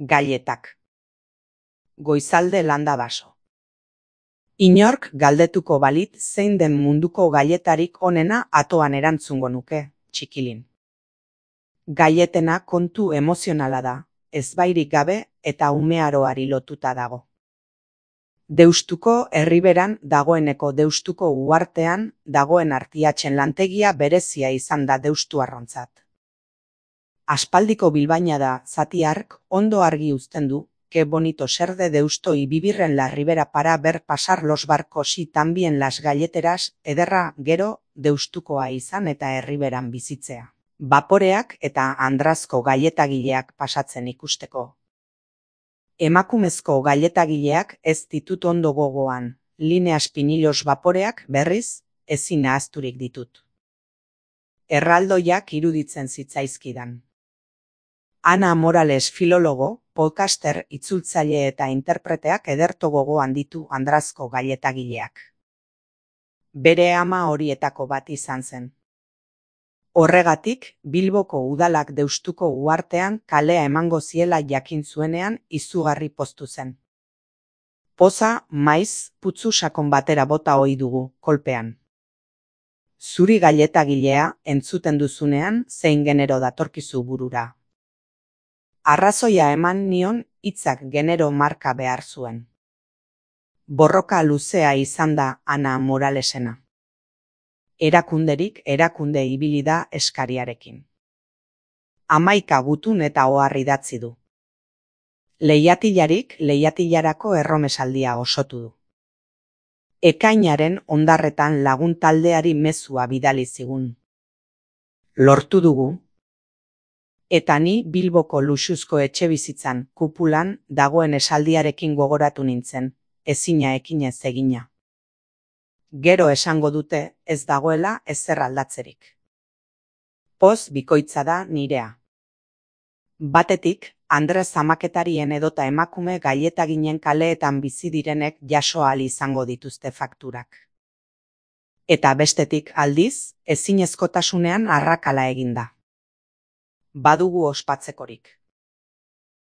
Galletak. Goizalde landa baso. Inork galdetuko balit zein den munduko galletarik onena atoan erantzungo nuke, txikilin. Galletena kontu emozionala da, ezbairik gabe eta umearoari lotuta dago. Deustuko herriberan dagoeneko Deustuko uhartean dagoen artiatxen lantegia berezia izan da deustuarrontzat. Aspaldiko bilbaina da zati hark ondo argi uzten du, qué bonito ser de Deusto y vivir en la ribera para ver pasar los barcos y también las galleteras, ederra gero Deustukoa izan eta herriberan bizitzea. Baporeak eta andrazko galletagileak pasatzen ikusteko. Emakumezko galletagileak ez ditut ondo gogoan, Lineas Pinilos baporeak berriz ezin ahazturik ditut. Erraldoiak iruditzen zitzaizkidan. Ana Morales filologo, podcaster, itzultzaile eta interpreteak ederto gogoan ditu andrazko galletagileak. Bere ama horietako bat izan zen. Horregatik, Bilboko udalak Deustuko uhartean kalea emango ziela jakin zuenean izugarri poztu zen. Poza, maiz, putzu sakon batera bota ohi dugu, kolpean. Zuri galletagilea entzuten duzunean zein genero datorkizu burura. Arrazoia eman nion hitzak genero marka behar zuen. Borroka luzea izan da Ana Moralesena. Erakunderik erakunde ibili da eskariarekin. 11 gutun eta ohar idatzi du. Leiatilarik leiatilarako erromesaldia osotu du. Ekainaren hondarretan lagun taldeari mezua bidali zigun. Lortu dugu. Eta ni Bilboko luxuzko etxebizitzan kupulan dagoen esaldiarekin gogoratu nintzen, ezina ekinez egina. Gero esango dute ez dagoela ezer aldatzerik. Poz bikoitza da nirea. Batetik, Andres Zamaketarien edota emakume galletaginen kaleetan bizi direnek jaso ahal izango dituzte fakturak. Eta bestetik aldiz, ezinezkotasunean arrakala eginda. Badugu ospatzekorik.